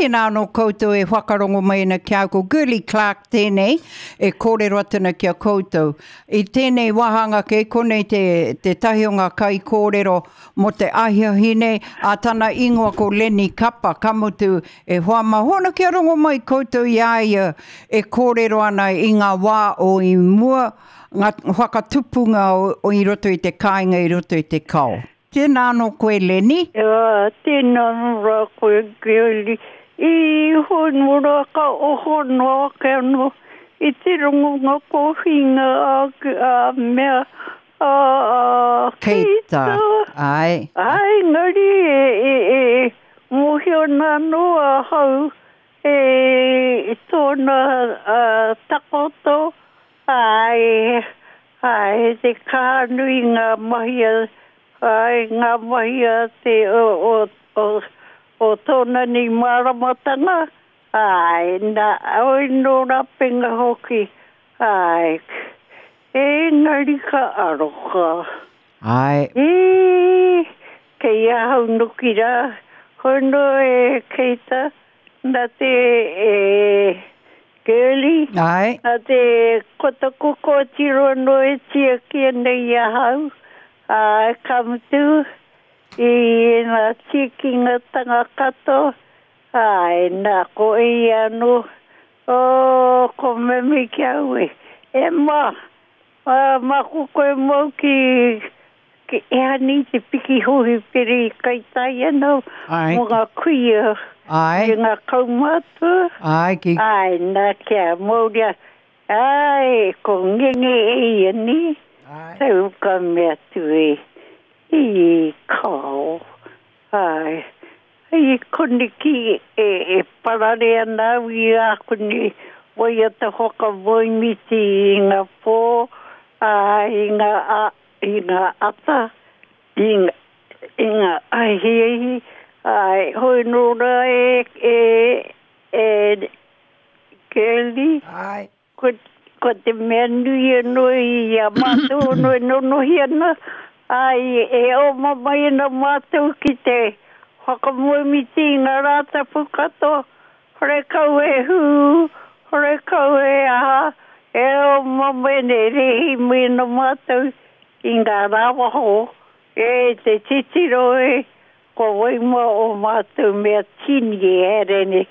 Tēnā anō koutou e whakarongo mai ana ki a au, ko Girlie Clarke tēnei e kōrero atu ana ki a koutou. I tēnei wāhanga kei konei te, tētahi o ngā kaikōrero mō te ahiahi nei, ā, tana ingoa ko Lenny Kapa, ka mutu e hoa mā, hōna kia rongo mai koutou i a ia e kōrero ana i ngā wā o i mua, ngā whakatupunga o, i roto i te kāinga, i roto i te kao. Tēnā anō koe Lenny. Ā, tēnā anō rā koe Girlie. I hono rā ka oho noa ake anō i te rongonga kōwhinga a, a mea, a, a Keita. Āe. Āe, engari e, e, e mōhio ana anō ahau e tōna takoto, āe, Āe, te kaha nui ngā mahi a, āe, ngā mahi a te, o, o, o, o tōna nei māramatanga, āe, nā, oi nō Rapenga hoki, āe, engari ka aroha. Āe. Ī, kei ahau noki rā, hono e Keita, nā te, e, Girlie, Āe. Nā te ko taku kōtiro anō e tiaki ana i ahau, ā, ka mutu i ēnā tīkingatanga katoa, āe, nā, ko ia anō, oh, ko Mimi ki a au e, e ma, ā, māku koe mau ki, ki ehani te piki hōhipere i kaitai ana Āe. mō ngā kuia Āe. me ngā kaumātua. Āe, ki. Āe, nā, kia mauria, āe, ko ngenge e ia nē. Āe. Tau ka mea atu e, i kao, āe. I koneki e, e parare ana au i āku nei waiata whakamoemiti i ngā pō, ā, i ngā, ā, i ngā ata, i, i ngā ahiahi, āe, hoi nō rā e, e, e, Girlie. Āe. Ko, ko te mea nui anō i a mātou anō e nonohi ana, āe, e oma mai ana mātou ki te whakamoemiti i ngā Rātapu katoa, horekau he hū, horekau he aha, e oma mai ana, e rēhi mai ana mātou i ngā rāwaho, e te titiro e, Ko wai mā ō mātou mea tini e haere nei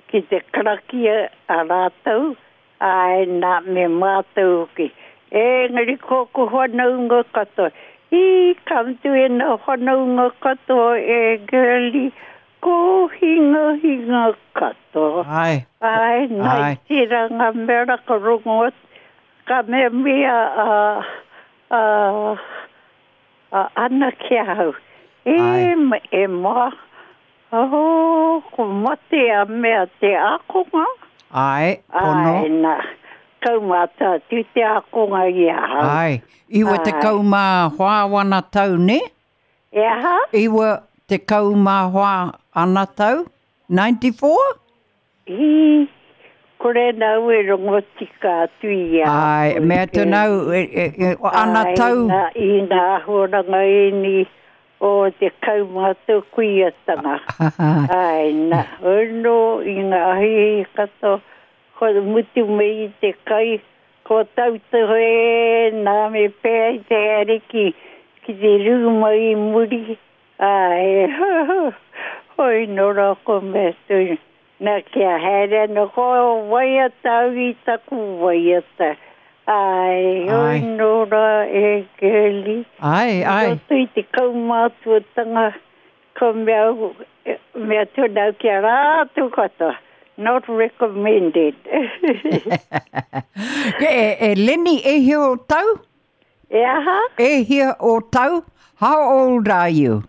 ki te karakia a rātou, āe nā, me mātou hoki. Engari ko aku whanaunga katoa, i ka mutu ēnā whanaunga katoa e Girlie, ko hingahinga katoa. Āe. Āe, nā, i tērā ngā mea rā ka rongo atu, ka mea mea a, a, A ana ki ahau, E, e ma, oh, ko mate a mea te ākonga. Āe, pono. Āe, na, kaumātua atu te ākonga i ahau. Āe, 94 wana tau, nē? E aha? 94 ana tau, 94? Hi, kore nau e rongo tika atu i a Ai, koe mea atu nau, e, e, e, ana tau. Ai, na, i ngā āhuaranga ēnei o te kaumātua kuiatanga. Ai, na, ono i ngā ahiahi katoa, kua mutu mai i te kai, kua tautohe nā me pēhea i te haere ki, ki te rūma i muri, Āe, hoi nō rā ko mea tonu. Nā, kia haere ana ko waiata au i taku waiata. Āe, hoi nō rā e Girlie. Āe, āe. I roto i te kaumātuatanga, ko mea au, mea tonu au ki a rātou katoa, not recommended. E, Lenny, e hia o tau? E aha? E hia o tau? How old are you?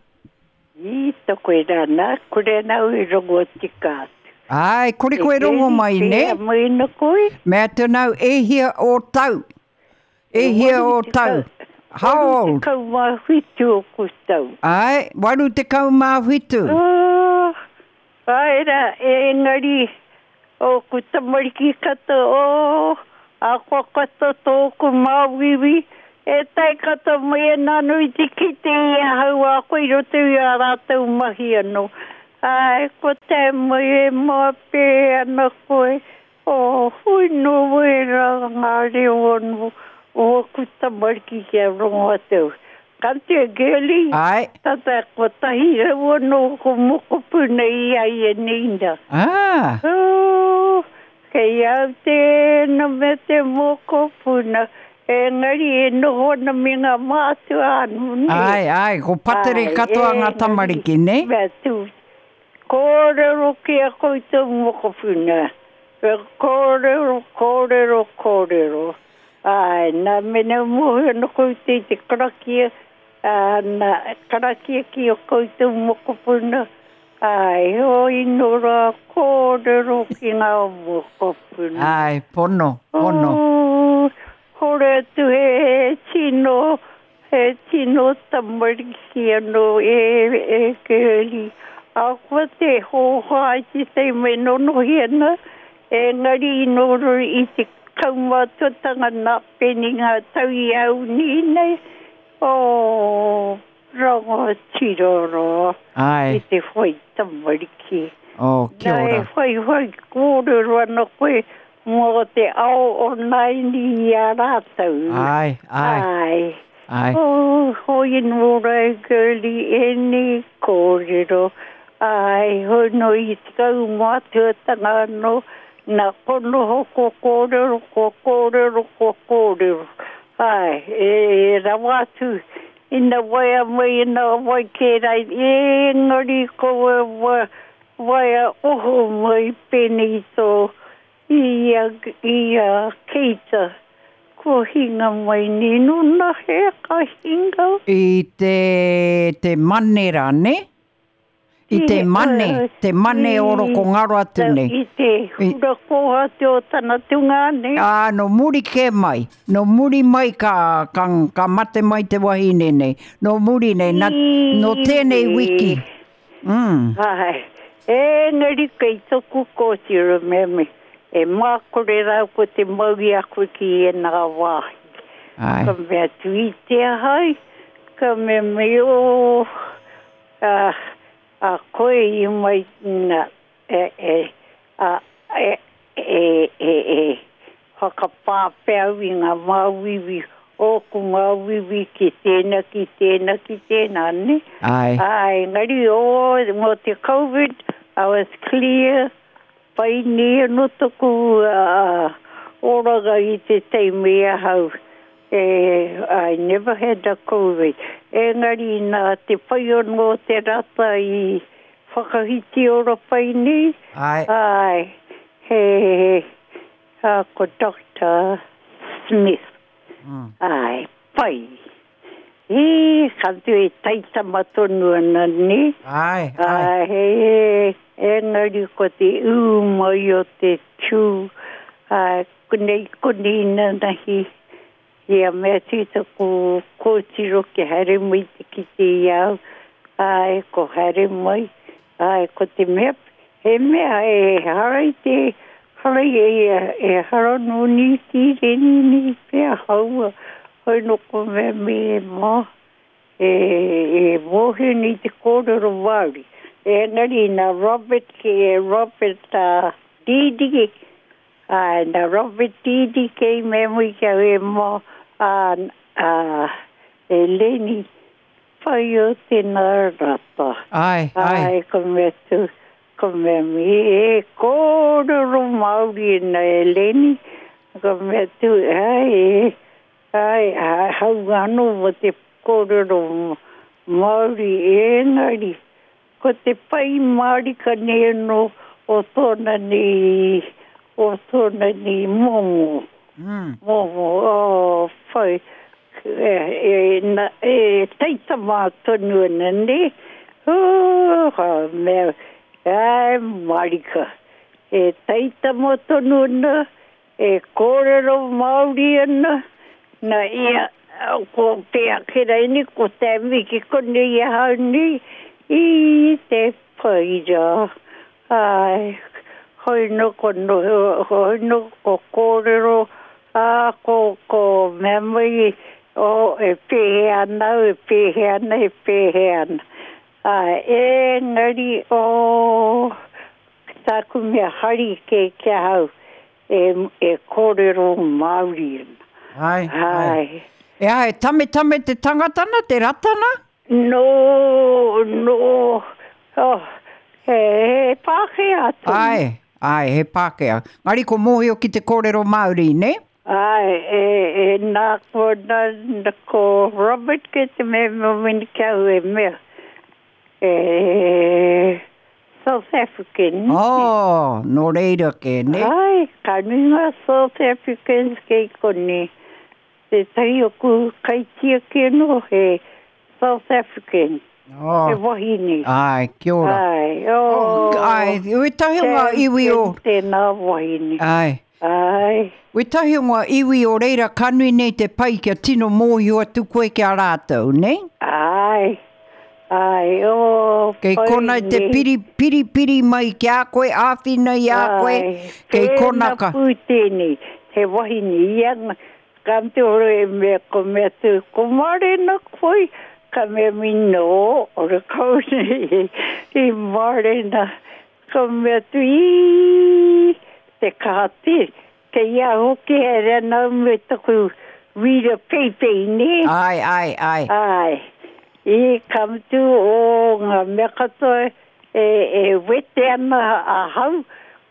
I toko rā nā, kore nau i rongo tika atu. Ai, kore koe rongo mai, nē? E mai na koe? Mea atu nau, e hia o tau? E hia o tau? How old? 87 oku tau. Ai, 87. Oh, Āe rā, engari ōku tamariki katoa, oh, ahakoa katoa tōku māuiui, e tae katoa mai ana anō i te kite i ahau a koe i roto i ā rātou mahi anō. Ai, ko te mai e mō ana koe, o hui no wera ngā reo anō o aku tamariki kia rongo atu. Ka te girlie, Ai. tata 100 anō ko mokopuna i a ia nei nā. Ah. Oh, kei au tēnā me te mokopuna, engari e noho ana me ngā mātua anō, nē? Ai, ai, ko patere Ai, katoa ngā engari, tamariki, nē? Mea tū, kōrero ki a koutou mokopuna. E kōrero, kōrero, kōrero. Ai, nā, mena mōhio ana koutou i te karakia, ā, nā, karakia ki a koutou mokopuna, ai, hoi nō rā kōrero ki ngā mokopuna. Ai, pono, pono. Oh, hore atu he tino, he tino tamariki anō e, e Girlie. Ahakoa te hōhā i te taima e nonohi ana, engari i noho i te kaumātuatanga nā pēnei ngā tau i au nei nei, oh, rangatira rā Ai. i te whai tamariki. Oh, kia Nā, e ora. whaiwhai kōrero ana koe mō te ao o nāianei i a rātou. Ai, ai. Ai. Ai. Oh, hoi nō rā e girlie, ēnei kōrero. Ai, hoi nō i te kaumātuatanga anō, nā konoho ko kōrero, ko kōrero, ko kōrero. Ai, e rawa atu, ina waea mai, ina wai kē rai, engari ko wa, waea oho mai pēnei tō i a, i a Keita. Ko hinga mai nei, nōna he ka hinga. I te, te mane rā, ne? I te mane, te mane o roko ngaro atu nei. I te hura kōhatu o tana tungāne. Ā, nō muri kē mai, nō muri mai ka, ka, ka mate mai te wahine nei. Nō muri nei, na, nō tēnei wiki. Mm. Ai, engari kei toku kōtiro mea me, e mākore rau ko te mau i a koe ki ēnā wāhi. Ai. Ka mea atu i te ahai, ka mea mai o, a, a koe i mai na, e, e, a, e, e, e, e, whakapāpea au i ngā māuiui, ōku māuiui ki tēnā, ki tēnā, ki tēnā, ne? Ai. Ai, engari, o, mō te COVID, I was clear, pai nei anō toku uh, oranga i te teime i ahau. E, I never had a COVID. Engari nā te pai anō te rata i whakahiti ora pai nei. Ai. Ai, he, he, a, ko Dr. Smith. Mm. Ai, pai. E, ka tu e taitama tonu ana, ne? Ai, ai. Ai, he, engari ko te ū mai o te tū. Ai, konei, konei nanahi. Ia mea tita ko kōtiro ki haere mai te kite i au. Ai, ko haere mai. Ai, ko te mea, he mea e hara i te, hara i e, e hara no ni tīreni ni pea haua. Hoi no ko mea me e mā. E, e mōhio nei te kōrero Māori. Engari nā Robert ki e Robert uh, Didi, ai, nā Robert Didi kei mea mui kia e mā, a, a, e Leni, pai o tēnā rata. Ai, ai. Ai, ko mea tu, ko mea mi, e kōrero Māori na e Leni, ko mea tu, ai, e, ai, ai, hau anō mo te kōrero Māori engari, ko te pai mārika nei anō o tōna nei, o tōna nei momo. Mm. Momo, oh, whai, e, e, na, e taitama tonu ana nei. Oh, ka mea, ai, marika. E taitama tonu ana, e kōrero Māori ana, na ia, ko te ake ni, ko te miki konei ahau nei, i te paira. Ai, hoi no ko no, hoi no ko kōrero, a ko, ko mea mai, o, e pēhea ana, e pēhea ana, e pēhea ana. Āe, engari, oh, tāku mea hari kē ki ahau, e, e kōrero Māori ana. Āe, āe. Āe. E aha, e tametame te tangata na, te rata na? Nō, nō, oh, he, he Pākehā tonu. Āe, āe, he Pākehā. Engari ko mōhio ki te kōrero Māori, nē? Āe, e, e, nā, ko, nā, nā, ko Robert kē te mea mōmini ki au e mea, e, South African. Oh, nō reira kē, nē? Āe, ka nui ngā South Africans kei konei. Tētahi o ku kaitiaki anō he South African. Oh. He wahine. Āe, kia ora. Āe, oh. Āe, wētahi o ngā iwi o... Tēnā wahine. Āe. Āe. Wētahi o ngā iwi o reira ka nui nei te pai kia tino mōhio atu koe ki a rātou, nē? Āe. Āe, oh, Kei pai kona te nei. piri, piri, piri mai ki a koe, āwhina i a koe, Āe. kei kona Tēnā ka... pū tēnei, he wahine ia, Ka te oro e mea ko mea tu, ko marena koe, ka mea mi no, ora kau nei i marena, ka mea tu ii, te kaha te, kei a hoki he rena me taku wira peipei ne. Ai, ai, ai. Ai. I ka mutu o nga mea katoa e, e wete ana ahau,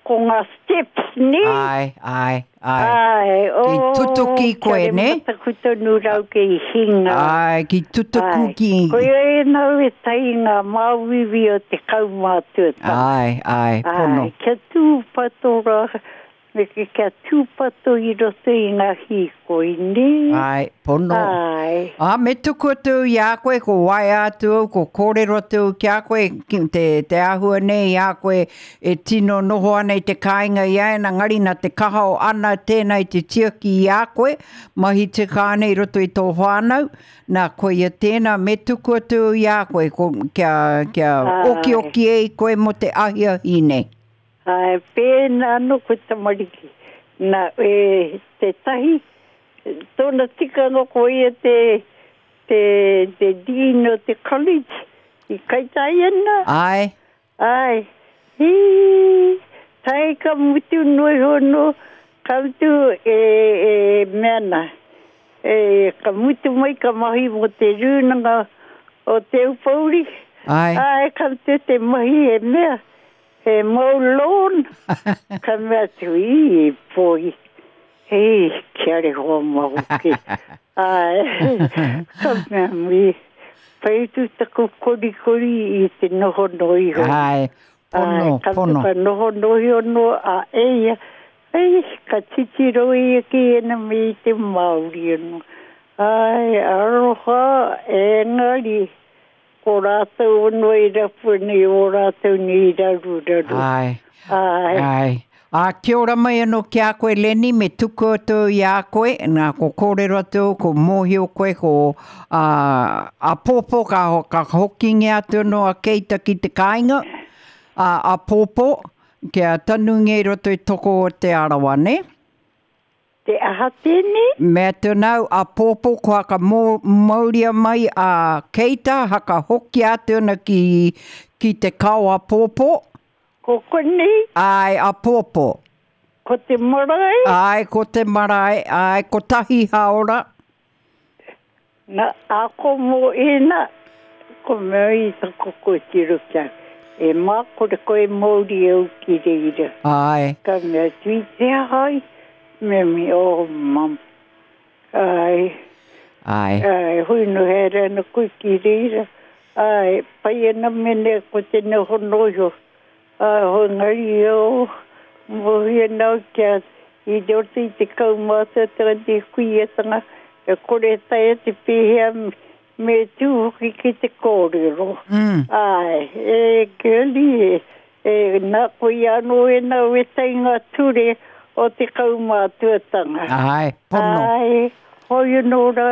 ko nga steps ne. Ai, ai, ai. Ai, Ki oh, tutuki koe, kia ne? mataku tonu rau kei hinga. Ai, ki tutuku Ai, ki... Koia e nau e tai ngā māuiui o te kaumātuatanga. Ai, ai, pono. Ai, kia tūpato rā, me ke kia tūpato i roto i ngā hīkoi, nē? Ai, pono. Ai. Ā, me tuku atu i a koe, ko waea atu au, ko kōrero atu au ki a koe, ki te, te āhua nei i a koe e tino noho ana i te kāinga i a ena, ngari nā te kaha o Ana tēnā i te tiaki i a koe, mahi tika ana i roto i tō whānau, nā, koia tēnā, me tuku atu au i a koe, ko, kia, kia Ai. okioki ai koe mō te ahiahi nei. Ai, pēnā anō koe tamariki. Nā, e, tētahi, tōna tikanga ko ia te, te, te dean o te college i Kaitaia nā. Ai. Ai. Hī, tae ka mutu noa iho anō, ka mutu e, e mea nā. E, ka mutu mai ka mahi mō te rūnanga o Te Aupōuri. Ai. Ai, ka mutu te mahi e mea. He mau loan. Ka mea atu, i, poi. Hei, kia reho mau ki. Ai, ka mea mi. Pai tu taku korikori i te noho no iho. Ai, pono, Ai, ka pono. Ka noho no iho no a eia. Ai, ka titiro ia ki ena me i te Māori ano. Ai, aroha, engari, ko rātou ono i rapu nei o rātou ni i raruraru. Ai. Ai. Ai. Ā, kia ora mai anō ki a koe, Lenny, me tuku atu i a koe, nā, ko kōrero atu, ko mōhio koe, ko ā, āpōpō ka, ka hokingia atu anō a Keita ki te kāinga, ā, āpōpō, kia tanungia i roto i toko o Te Arawa, nē? Te aha tēnei? Mea atu nāu, āpōpō ko haka mō, mauria mai a Keita, haka hokia atu ana ki, ki te kao āpōpō. Ko konei? Āe, āpōpō. Ko te marae? Āe, ko te marae, āe, kotahi hāora. Na, ako mō ēnā, ko mea i taku kōtiro kia, e mā kore koe mauri au ki reira. Āe. Ka mea atu i te aha ai, mea mi, oh, mum. Āe. Āe. Āe, hui no haere ana koe ki reira. Āe, pai ana mene ko te noho noho. Āe, hoi ngari o, mōhio nau kia i roto i te kaumātuatanga te kuiatanga, e kore taea te pēhea me tū hoki ki te kōrero. Mm. Āe, e girlie, e, e, nā koe anō e nau e tai ngā ture o te kaumātuatanga. Āe, pono. Āe, hoi anō rā,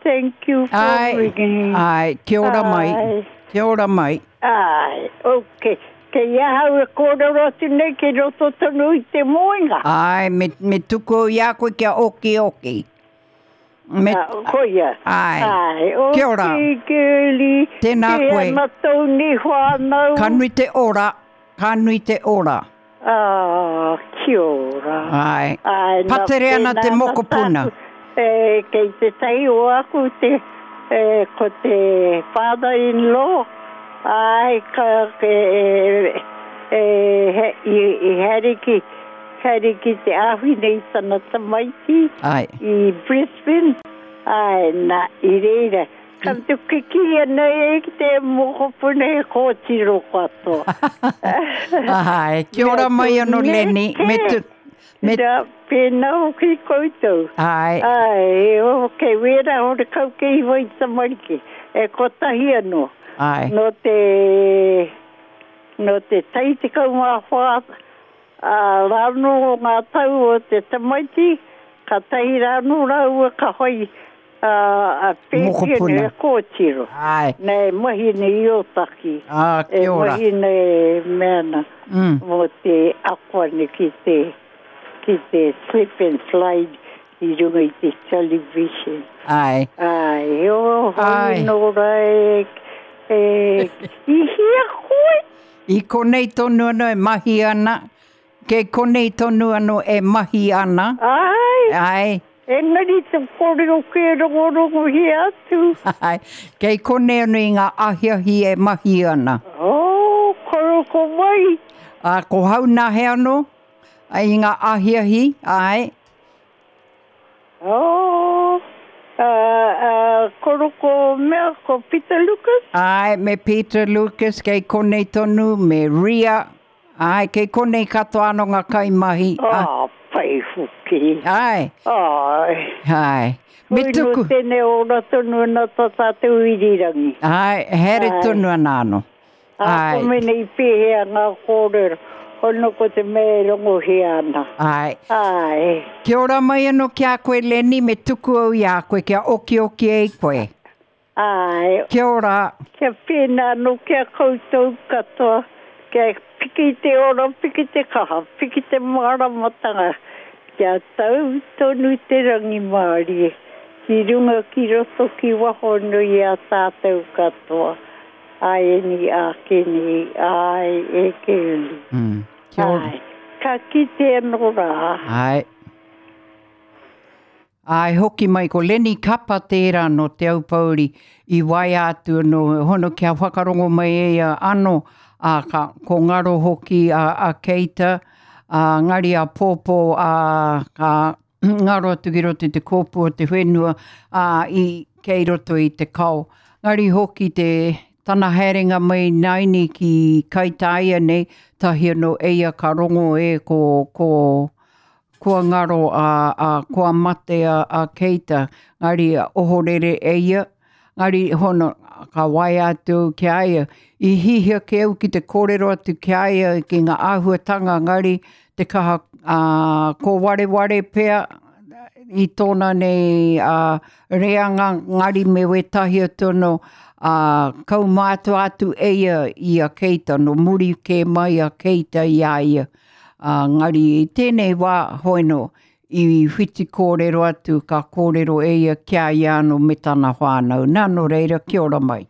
thank you for Āe, ringing. āe, kia ora mai, Āe. kia ora mai. Āe, ok. Kei ahau e kōrero atu nei kei roto tonu i te moenga. Āe, me, me tuku i a koe kia okioki. Me... Ah, koia. Ai. Ai. O Kia ora. Girlie. Tēnā koe. Kia ana tōu nei whānau. Ka nui te ora. Ka nui te ora. Ah, kia ora. Ai. Ai, nā, Patere ana te tēnā mokopuna. tāku. E, kei te tahi o aku te, e, ko te father-in-law. Ai, ka, e, e, e, he, i, i haere ki, haere ki te āwhina i tana tamaiti. Ai. I Brisbane. Ai, nā, i reira. Ka tu kiki ana e ki te mokopuna he kōtiro katoa. Ai, kia ora mai ano Lenny. Me tu, me, Nā, pēnā hoki koutou. ai, Ai, o, kei wera o te kau kei iwa i tamariki. E kotahi anō. ai. No te, no te tai 14, a, rāno o ngā tau o te tamaiti, ka tahi rāno rāua ka hoi a, a pēpi Mokopuna. e kōtiro. Ai. Nei, mahi nei i Ōtaki. Ah, E kia ora. mahi nei meana mō te akoane ki te, ki te slip and slide i runga i te television. Ai. Ai, o, hoi Ai. nō rā e, e, i hia koe? I konei tonu anō e mahi ana. Kei konei tonu anō e mahi ana. Ai, Ai. engari te kōrero ke rongorongo hia atu. Ai. Kei konei anō i ngā ahiahi e mahi ana. O, koroko mai. A, ko hau nā he anō ai, i ngā ahiahi, ai. O, a, a, koroko mea ko Peter Lucas. Ai, me Peter Lucas, kei konei tonu, me Ria. Ai, kei konei katoa anō ngā kaimahi. Ah, pai hoki. Ai, Ai. ai. Me Oi, tuku. No tēnei ora tonu ana tā tātou irirangi. Ai, here Ai. tonu ana anō. A, Ai. ko mene i pēhea ngā kōrero. Hono ko te mea e rongohia ana. Ai. Ai. Kia ora mai anō ki a koe, Lenny, me tuku au i a koe, kia oki oki ei koe. Ai. Kia ora. Kia pēnā anō kia koutou katoa. Kia piki te ora, piki te kaha, piki te māramatanga. Kia tau tonu te rangimārie. Ki runga ki roto ki waho nui a tātou katoa. Ai e ni a ke ni, ai e ke uli. Kia ora. Ai. Ka kite anō rā. Ai. Ai, hoki mai ko Lenny Kapa tērā no Te Aupouri i waia atu no hono kia whakarongo mai e ia anō a ka, ko ngaro hoki a, a Keita, a ngari a Pōpō a ka ngaro atu ki roto i te kōpū o te whenua a, i kei roto i te kao. Ngari hoki te tana haerenga mai naini ki Kaitāia nei, tahi anō eia ka rongo e ko, ko, kua ngaro a, a kua mate a, a Keita, ngari a ohorere e ia, ngari hono ka waia atu ki a ia. I hihia ke au ki te kōrero atu ki a ia ki ngā āhuatanga ngari te kaha a, ko wareware pea i tōna nei a, reanga ngari me wētahi atu anō a, kaumātua atu e ia i a Keita, no muri kē mai a Keita i a ia. A, ngari i tēnei wā hoino i whiti kōrero atu ka kōrero e ia ki a ia anō me tana whānau. Nā, nō reira, kia ora mai.